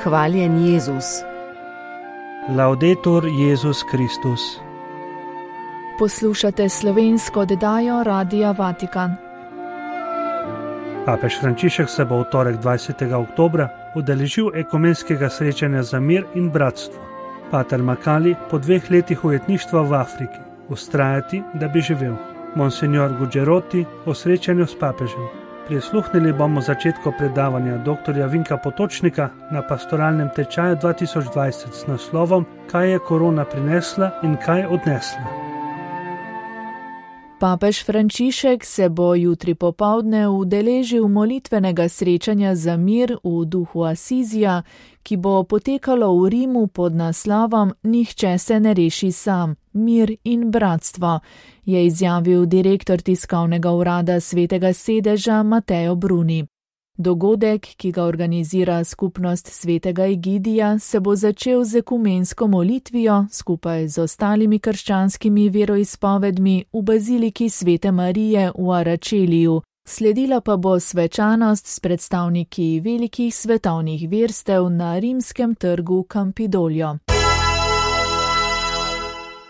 Hvaljen Jezus. Laudetur Jezus Kristus. Poslušate slovensko oddajo Radia Vatikan. Papež Frančišek se bo v torek 20. oktobra udeležil ekumenskega srečanja za mir in bratstvo. Pater Makali po 2 letih ujetništva v Afriki vztrajati, da bi živel. Monsignor Gugeroti o srečanju s papežem. Prisluhnili bomo začetku predavanja dr. Vinka Potočnika na pastoralnem tečaju 2020 s naslovom Kaj je korona prinesla in kaj odnesla. Papež Frančišek se bo jutri popoldne udeležil molitvenega srečanja za mir v duhu Asizija, ki bo potekalo v Rimu pod naslovom Nihče se ne reši sam, mir in bratstvo, je izjavil direktor tiskovnega urada Svetega sedeža Mateo Bruni. Dogodek, ki ga organizira skupnost Svetega Egidija, se bo začel z ekumensko molitvijo skupaj z ostalimi krščanskimi veroizpovedmi v baziliki Svete Marije v Aračeliju. Sledila pa bo svečanost s predstavniki velikih svetovnih verstev na rimskem trgu Campidolio.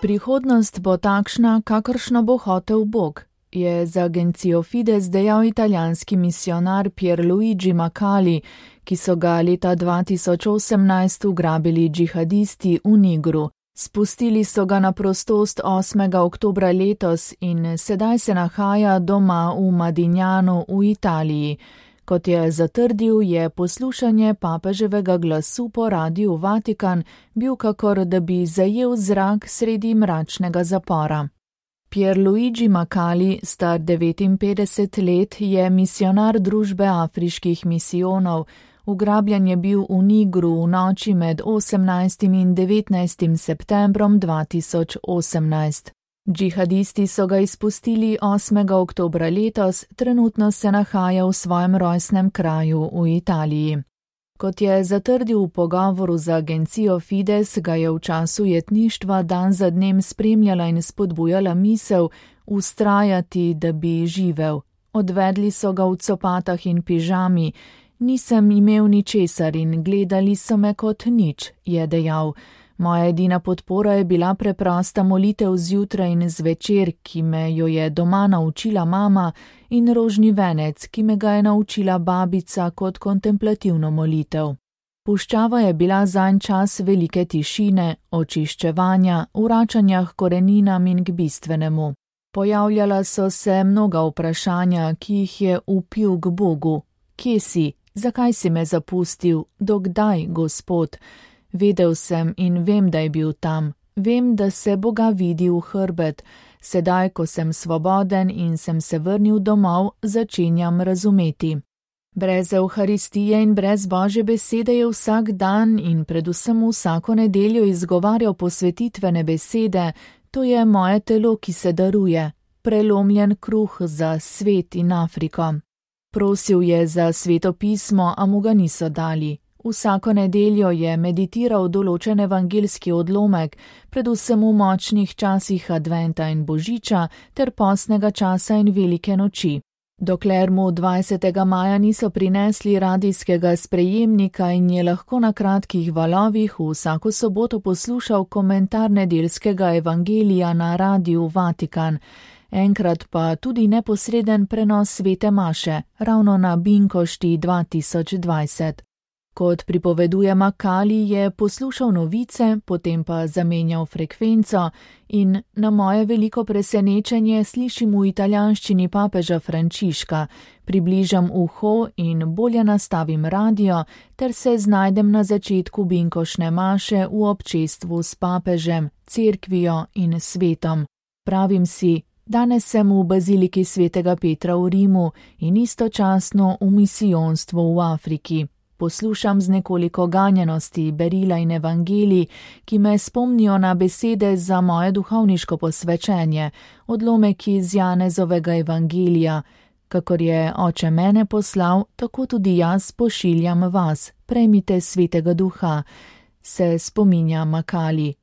Prihodnost bo takšna, kakršno bo hotel Bog, je za agencijo Fides dejal italijanski misionar Pierluigi Macali, ki so ga leta 2018 ugrabili džihadisti v Nigru. Spustili so ga na prostost 8. oktobra letos in sedaj se nahaja doma v Madignanu v Italiji. Kot je zatrdil, je poslušanje papeževega glasu po Radiu Vatikan bil kakor da bi zajel zrak sredi mračnega zapora. Pierluigi Macali, star 59 let, je misionar družbe afriških misijonov. Ugrabljen je bil v Nigru v noči med 18. in 19. septembrom 2018. Džihadisti so ga izpustili 8. oktobra letos, trenutno se nahaja v svojem rojstnem kraju v Italiji. Kot je zatrdil v pogovoru z agencijo Fides, ga je v času jetništva dan za dnem spremljala in spodbujala misel vztrajati, da bi živel. Odvedli so ga v copatah in pižami. Nisem imel ničesar in gledali so me kot nič, je dejal. Moja edina podpora je bila preprosta molitev zjutraj in zvečer, ki me jo je doma naučila mama, in rožni venec, ki me ga je naučila babica kot kontemplativno molitev. Puščava je bila zanj čas velike tišine, očiščevanja, vračanja k koreninam in k bistvenemu. Pojavljala so se mnoga vprašanja, ki jih je vpil k Bogu. Kje si? Zakaj si me zapustil? Dokdaj, Gospod? Vedel sem in vem, da je bil tam. Vem, da se Boga vidi v hrbet. Sedaj, ko sem svoboden in sem se vrnil domov, začenjam razumeti. Brez Evharistije in brez Božje besede je vsak dan in predvsem vsako nedeljo izgovarjal posvetitvene besede, to je moje telo, ki se daruje, prelomljen kruh za svet in Afriko. Prosil je za sveto pismo, a mu ga niso dali. Vsako nedeljo je meditiral določen evangeljski odlomek, predvsem v močnih časih adventa in božiča ter postnega časa in velike noči. Dokler mu 20. maja niso prinesli radijskega sprejemnika in je lahko na kratkih valovih vsako soboto poslušal komentar nedeljskega evangelija na Radiu Vatikan, enkrat pa tudi neposreden prenos svete maše, ravno na Binkošti 2020. Kot pripoveduje Macali, je poslušal novice, potem pa zamenjal frekvenco in na moje veliko presenečenje slišim v italijanščini papeža Frančiška, približam uho in bolje nastavim radio ter se znajdem na začetku binkošne maše v občestvu s papežem, cerkvijo in svetom. Pravim si, danes sem v baziliki Svetega Petra v Rimu in istočasno v misijonstvu v Afriki. Poslušam z nekoliko ganjenosti berila in evangelij, ki me spomnijo na besede za moje duhovniško posvečenje, odlomek iz Janezovega evangelija. Kakor je Oče mene poslal, tako tudi jaz pošiljam vas, prejmite Svetega Duha, se spominja Macali.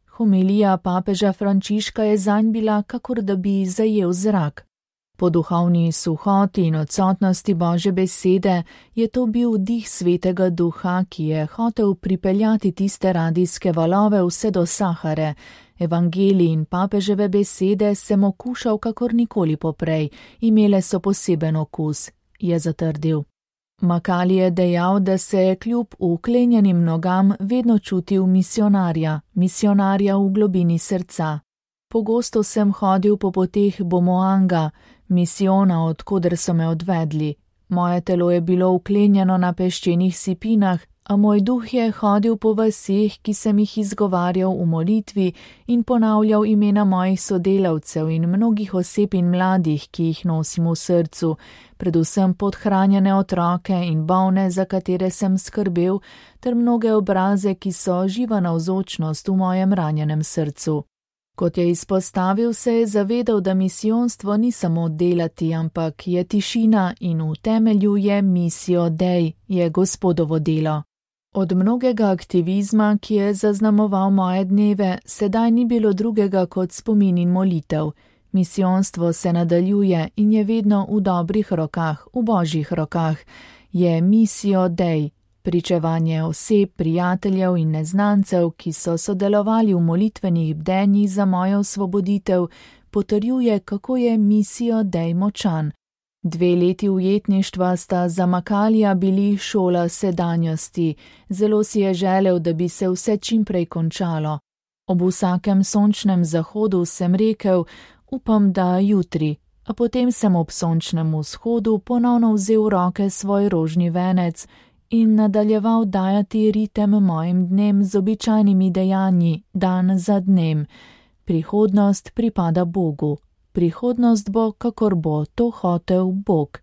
Homilija papeža Frančiška je zanj bila, kakor da bi zajel zrak. Po duhovni suhoti in odsotnosti Božje besede je to bil dih Svetega Duha, ki je hotel pripeljati tiste radijske valove vse do Sahare. Evangelij in papeževe besede sem okušal kakor nikoli poprej, imele so poseben okus, je zatrdil. Makali je dejal, da se je kljub uklenjenim nogam vedno čutil misionarja v globini srca. Pogosto sem hodil po poteh Bomoanga, misijona, odkoder so me odvedli. Moje telo je bilo uklenjeno na peščenih sipinah, a moj duh je hodil po vaseh, ki sem jih izgovarjal v molitvi in ponavljal imena mojih sodelavcev in mnogih oseb in mladih, ki jih nosim v srcu, predvsem podhranjene otroke in bolne, za katere sem skrbel, ter mnoge obraze, ki so živa navzočnost v mojem ranjenem srcu. Kot je izpostavil, se je zavedal, da misijonstvo ni samo delati, ampak je tišina in v temelju je missio Dei, je Gospodovo delo. Od mnogega aktivizma, ki je zaznamoval moje dneve, sedaj ni bilo drugega kot spomin in molitev. Misijonstvo se nadaljuje in je vedno v dobrih rokah, v Božjih rokah. Je missio Dei. Pričevanje oseb, prijateljev in neznancev, ki so sodelovali v molitvenih bdenjih za mojo osvoboditev, potrjuje, kako je missio Dei močan. 2 leti ujetništva sta za Makalija bili šola sedanjosti. Zelo si je želel, da bi se vse čimprej končalo. Ob vsakem sončnem zahodu sem rekel, upam, da jutri, a potem sem ob sončnem vzhodu ponovno vzel v roke svoj rožni venec in nadaljeval dajati ritem mojim dnem z običajnimi dejanji, dan za dnem. Prihodnost pripada Bogu. Prihodnost bo, kakor bo to hotel Bog.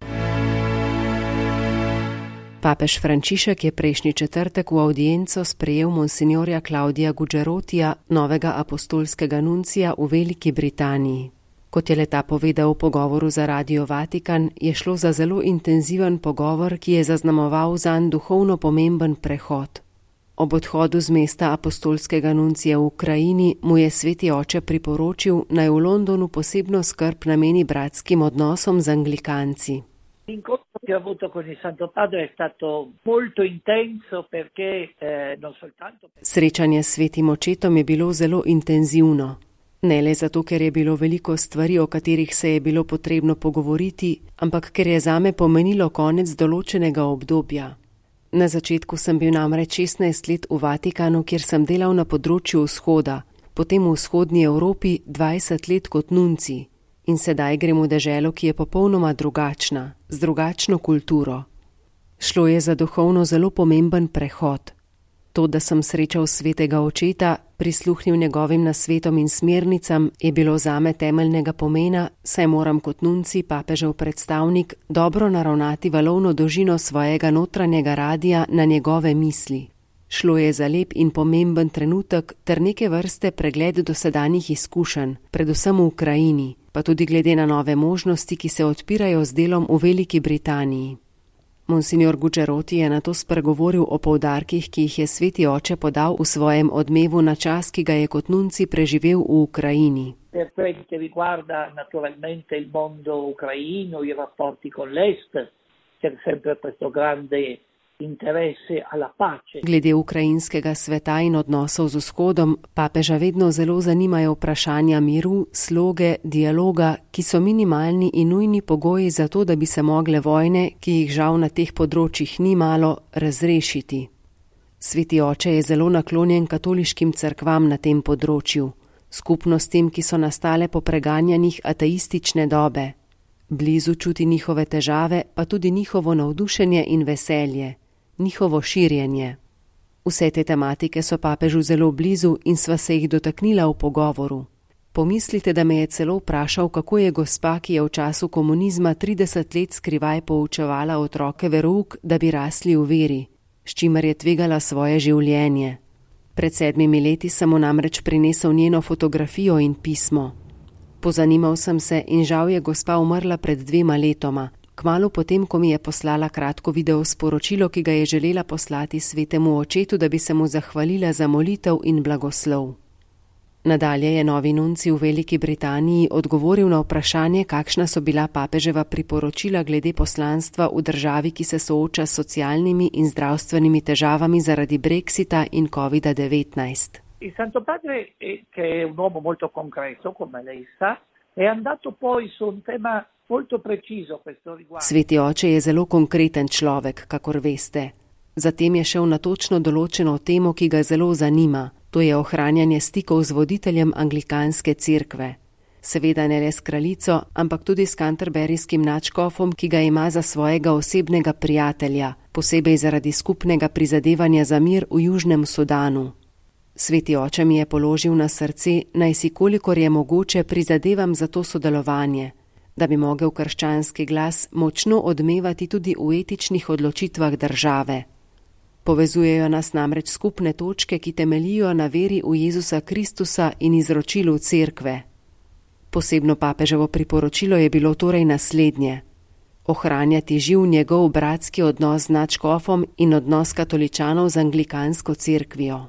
Papež Frančišek je prejšnji četrtek v avdienco sprejel monsinjorja Claudia Gugerotija, novega apostolskega nuncija v Veliki Britaniji. Kot je le-ta povedal v pogovoru za Radio Vatikan, je šlo za zelo intenziven pogovor, ki je zaznamoval zanj duhovno pomemben prehod. Ob odhodu z mesta apostolskega nuncija v Ukrajini mu je Sveti oče priporočil, naj v Londonu posebno skrb nameni bratskim odnosom z anglikanci. L'incontro che ho avuto con il Santo Padre è stato molto intenso perché non soltanto... Srečanje s Svetim očetom je bilo zelo intenzivno. Ne le zato, ker je bilo veliko stvari, o katerih se je bilo potrebno pogovoriti, ampak ker je zame pomenilo konec določenega obdobja. Na začetku sem bil namreč 16 let v Vatikanu, kjer sem delal na področju vzhoda, potem v vzhodnji Evropi 20 let kot nunci in sedaj grem v deželo, ki je popolnoma drugačna, z drugačno kulturo. Šlo je za duhovno zelo pomemben prehod. To, da sem srečal Svetega očeta, prisluhnil njegovim nasvetom in smernicam, je bilo zame temeljnega pomena, saj moram kot nunci, papežev predstavnik, dobro naravnati valovno dolžino svojega notranjega radija na njegove misli. Šlo je za lep in pomemben trenutek ter neke vrste pregled dosedanjih izkušenj, predvsem v Ukrajini, pa tudi glede na nove možnosti, ki se odpirajo z delom v Veliki Britaniji. Monsignor Gugeroti je nato spregovoril o poudarkih, ki jih je Sveti oče podal v svojem odmevu na čas, ki ga je kot nunci preživel v Ukrajini. Per quel che riguarda naturalmente il mondo ucraino, i rapporti con l'Est, c'è sempre questo grande interesse alla pace. Glede ukrajinskega sveta in odnosov z vzhodom, papeža vedno zelo zanimajo vprašanja miru, sloge, dialoga, ki so minimalni in nujni pogoji za to, da bi se mogle vojne, ki jih žal na teh področjih ni malo, razrešiti. Sveti oče je zelo naklonjen katoliškim cerkvam na tem področju, skupnostim, ki so nastale po preganjanjih ateistične dobe. Blizu čuti njihove težave, pa tudi njihovo navdušenje in veselje. Njihovo širjenje. Vse te tematike so papežu zelo blizu in sva se jih dotaknila v pogovoru. Pomislite, da me je celo vprašal, kako je gospa, ki je v času komunizma 30 let skrivaj poučevala otroke verouk, da bi rasli v veri, s čimer je tvegala svoje življenje. Pred 7 leti sem mu namreč prinesel njeno fotografijo in pismo. Pozanimal sem se in žal je gospa umrla pred 2 letoma. Kmalu potem, ko mi je poslala kratko video sporočilo, ki ga je želela poslati Svetemu očetu, da bi se mu zahvalila za molitev in blagoslov. Nadalje je novi nunci v Veliki Britaniji odgovoril na vprašanje, kakšna so bila papeževa priporočila glede poslanstva v državi, ki se sooča s socialnimi in zdravstvenimi težavami zaradi Brexita in COVID-19. Il Santo Padre, che è un uomo molto concreto, come lei sa, è andato poi su un tema molto preciso a questo riguardo. Sveti oče je zelo konkreten človek, kakor veste. Zatem je šel na točno določeno temo, ki ga zelo zanima. To je ohranjanje stikov z voditeljem anglikanske cerkve. Seveda ne le s kraljico, ampak tudi s canterburyjskim nadškofom, ki ga ima za svojega osebnega prijatelja, posebej zaradi skupnega prizadevanja za mir v Južnem Sudanu. Sveti oče mi je položil na srce, naj si kolikor je mogoče prizadevam za to sodelovanje, da bi mogel krščanski glas močno odmevati tudi v etičnih odločitvah države. Povezujejo nas namreč skupne točke, ki temeljijo na veri v Jezusa Kristusa in izročilu cerkve. Posebno papeževo priporočilo je bilo torej naslednje: ohranjati živ njegov bratski odnos z nadškofom in odnos katoličanov z anglikansko cerkvijo.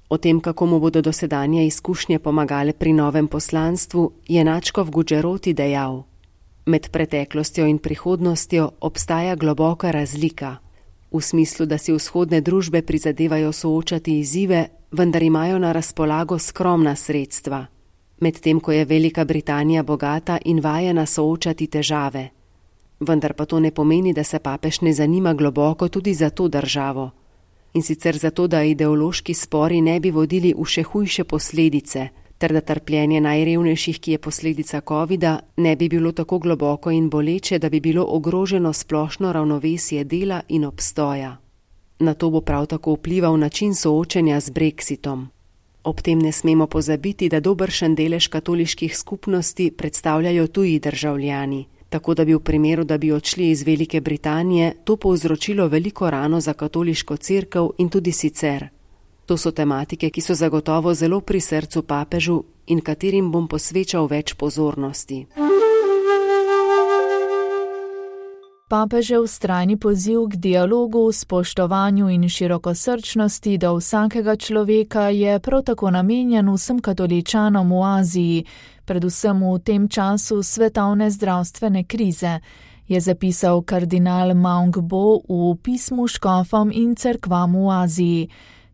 O tem, kako mu bodo dosedanje izkušnje pomagale pri novem poslanstvu, je nadškof Gugeroti dejal: med preteklostjo in prihodnostjo obstaja globoka razlika. V smislu, da si vzhodne družbe prizadevajo soočati izzive, vendar imajo na razpolago skromna sredstva. Medtem ko je Velika Britanija bogata in vajena soočati težave. Vendar pa to ne pomeni, da se papež ne zanima globoko tudi za to državo. In sicer zato, da ideološki spori ne bi vodili v še hujše posledice, ter da trpljenje najrevnejših, ki je posledica covida, ne bi bilo tako globoko in boleče, da bi bilo ogroženo splošno ravnovesje dela in obstoja. Na to bo prav tako vplival način soočenja z Brexitom. Ob tem ne smemo pozabiti, da dobršen delež katoliških skupnosti predstavljajo tuji državljani, tako da bi v primeru, da bi odšli iz Velike Britanije, to povzročilo veliko rano za katoliško cerkev in tudi sicer. To so tematike, ki so zagotovo zelo pri srcu papežu in katerim bom posvečal več pozornosti. Papežev vztrajni poziv k dialogu, spoštovanju in širokosrčnosti do vsakega človeka je prav tako namenjen vsem katoličanom v Aziji, predvsem v tem času svetovne zdravstvene krize, je zapisal kardinal Maung Bo v pismu škofom in cerkvam v Aziji.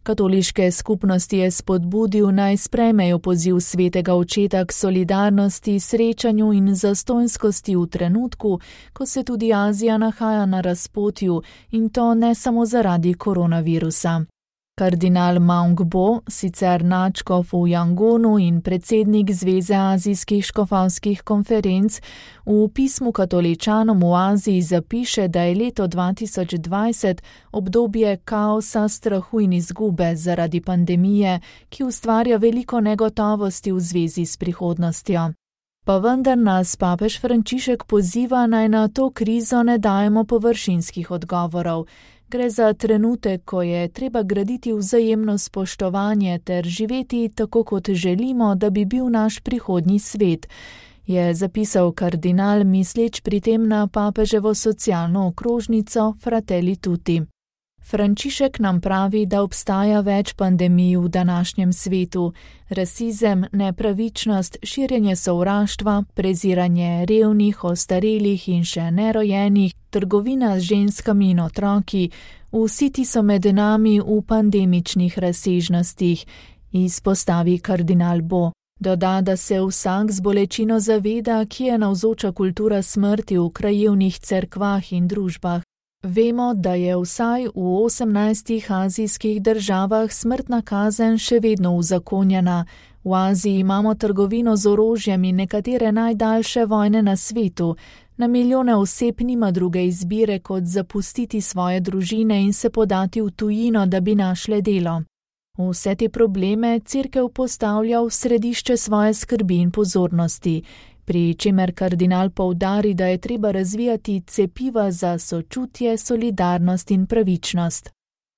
Katoliške skupnosti je spodbudil, naj sprejmejo poziv svetega očeta k solidarnosti, srečanju in zastonjskosti v trenutku, ko se tudi Azija nahaja na razpotju, in to ne samo zaradi koronavirusa. Kardinal Maung Bo, sicer nadškof v Jangonu in predsednik Zveze azijskih škofovskih konferenc, v pismu katoličanom v Aziji zapiše, da je leto 2020 obdobje kaosa, strahu in izgube zaradi pandemije, ki ustvarja veliko negotovosti v zvezi s prihodnostjo. Pa vendar nas papež Frančišek poziva, naj na to krizo ne dajemo površinskih odgovorov. Gre za trenutek, ko je treba graditi vzajemno spoštovanje ter živeti tako, kot želimo, da bi bil naš prihodnji svet, je zapisal kardinal, misleč pri tem na papeževo socialno okrožnico Fratelli Tutti. Frančišek nam pravi, da obstaja več pandemij v današnjem svetu: rasizem, nepravičnost, širjenje sovraštva, preziranje revnih, ostarelih in še nerojenih, trgovina z ženskami in otroki, vsi ti so med nami v pandemičnih razsežnostih, izpostavi kardinal Bo. Doda, da se vsak z bolečino zaveda, kje je navzoča kultura smrti v krajevnih cerkvah in družbah. Vemo, da je vsaj v 18 azijskih državah smrtna kazen še vedno uzakonjena. V Aziji imamo trgovino z orožjem in nekatere najdaljše vojne na svetu. Na milijone oseb nima druge izbire, kot zapustiti svoje družine in se podati v tujino, da bi našle delo. Vse te probleme cerkev postavlja v središče svoje skrbi in pozornosti, pri čemer kardinal poudari, da je treba razvijati cepiva za sočutje, solidarnost in pravičnost.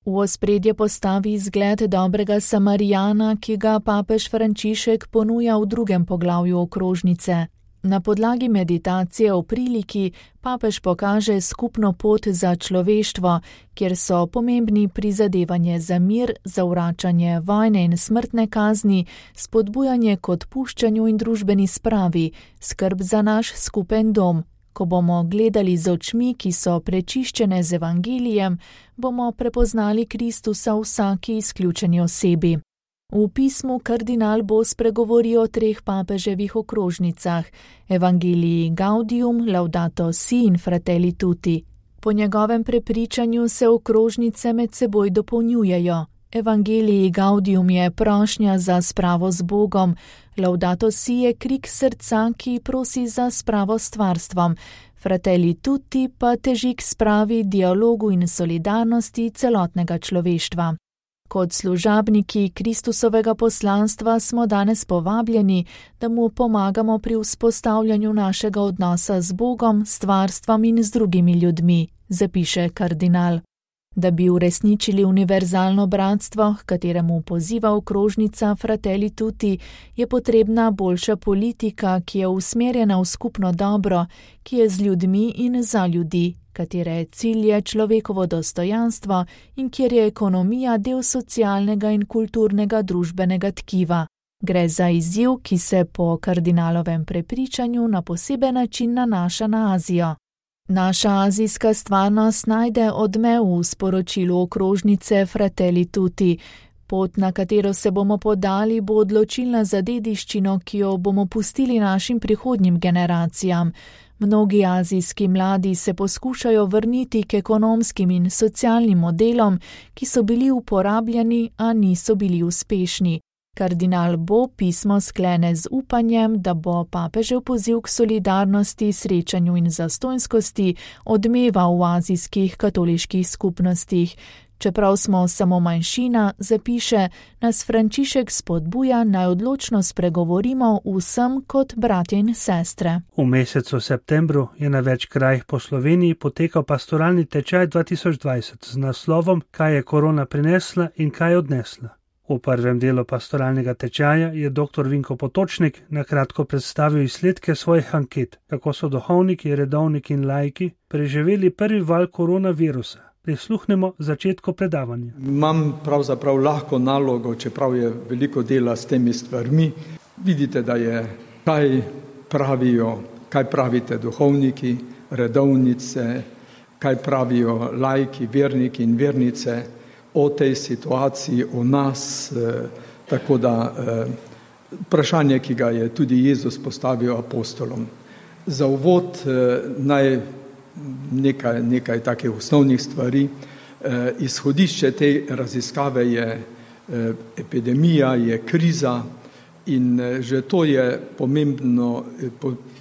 V ospredje postavi zgled dobrega Samarijana, ki ga papež Frančišek ponuja v 2. poglavju okrožnice. Na podlagi meditacije o priliki papež pokaže skupno pot za človeštvo, kjer so pomembni prizadevanje za mir, zavračanje vojne in smrtne kazni, spodbujanje k odpuščanju in družbeni spravi, skrb za naš skupen dom. Ko bomo gledali z očmi, ki so prečiščene z evangelijem, bomo prepoznali Kristusa v vsaki izključeni osebi. V pismu kardinal bo spregovoril o 3 papeževih okrožnicah, Evangelii Gaudium, Laudato Si in Fratelli Tutti. Po njegovem prepričanju se okrožnice med seboj dopolnjujejo. Evangelii Gaudium je prošnja za spravo z Bogom, Laudato Si je krik srca, ki prosi za spravo s stvarstvom, Fratelli Tutti pa teži k spravi, dialogu in solidarnosti celotnega človeštva. Kot služabniki Kristusovega poslanstva smo danes povabljeni, da mu pomagamo pri vzpostavljanju našega odnosa z Bogom, stvarstvom in z drugimi ljudmi, zapiše kardinal. Da bi uresničili univerzalno bratstvo, h kateremu poziva okrožnica Fratelli Tutti, je potrebna boljša politika, ki je usmerjena v skupno dobro, ki je z ljudmi in za ljudi, katere cilj je človekovo dostojanstvo in kjer je ekonomija del socialnega in kulturnega družbenega tkiva. Gre za izziv, ki se po kardinalovem prepričanju na poseben način nanaša na Azijo. Naša azijska stvarnost najde odmev v sporočilu okrožnice Fratelli Tutti. Pot, na katero se bomo podali, bo odločilna za dediščino, ki jo bomo pustili našim prihodnjim generacijam. Mnogi azijski mladi se poskušajo vrniti k ekonomskim in socialnim modelom, ki so bili uporabljeni, a niso bili uspešni. Kardinal Bo pismo sklene z upanjem, da bo papežev poziv k solidarnosti, srečanju in zastonjskosti odmeval v azijskih katoliških skupnostih. Čeprav smo samo manjšina, zapiše, nas Frančišek spodbuja, naj odločno spregovorimo vsem kot bratje in sestre. V mesecu septembru je na več krajih po Sloveniji potekal pastoralni tečaj 2020 z naslovom Kaj je korona prinesla in kaj odnesla. V prvem delu pastoralnega tečaja je dr. Vinko Potočnik na kratko predstavil izsledke svojih anket, kako so duhovniki, redovniki in laiki preživeli prvi val koronavirusa. Prisluhnemo začetku predavanja. Imam pravzaprav lahko nalogo, čeprav je veliko dela s temi stvarmi. Vidite, da je, kaj pravite duhovniki, redovnice, kaj pravijo laiki, verniki in vernice o tej situaciji, o nas, tako da vprašanje, ki ga je tudi Jezus postavil apostolom. Za uvod naj nekaj takih osnovnih stvari. Izhodišče te raziskave je epidemija, je kriza in že to je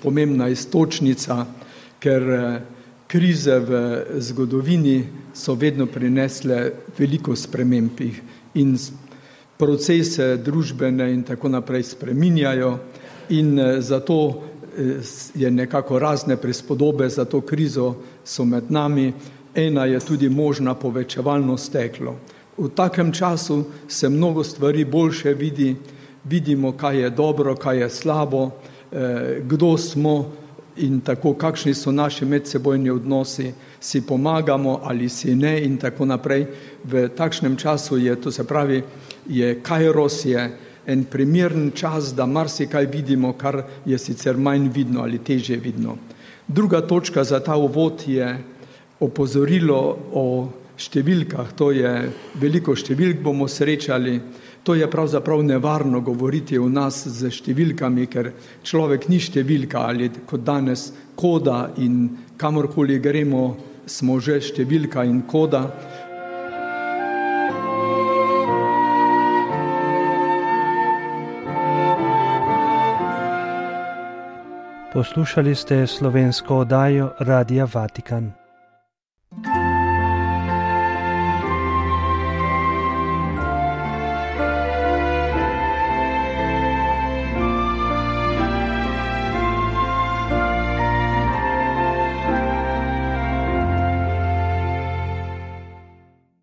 pomembna iztočnica, ker krize v zgodovini so vedno prinesle veliko sprememb in procese družbene in tako naprej spreminjajo in zato je nekako razne prispodobe za to krizo so med nami. Ena je tudi možna povečevalno steklo. V takem času se mnogo stvari boljše vidimo, kaj je dobro, kaj je slabo, kdo smo in tako, kakšni so naši medsebojni odnosi, si pomagamo ali si ne in tako naprej. V takšnem času je, to se pravi, je kairos, je en primeren čas, da marsikaj vidimo, kar je sicer manj vidno ali težje vidno. Druga točka za ta uvod je opozorilo o številkah. To je veliko številk bomo srečali. To je pravzaprav nevarno govoriti o nas z številkami, ker človek ni številka ali kot danes koda in kamorkoli gremo, smo že številka in koda. Poslušali ste slovensko oddajo Radia Vatikan.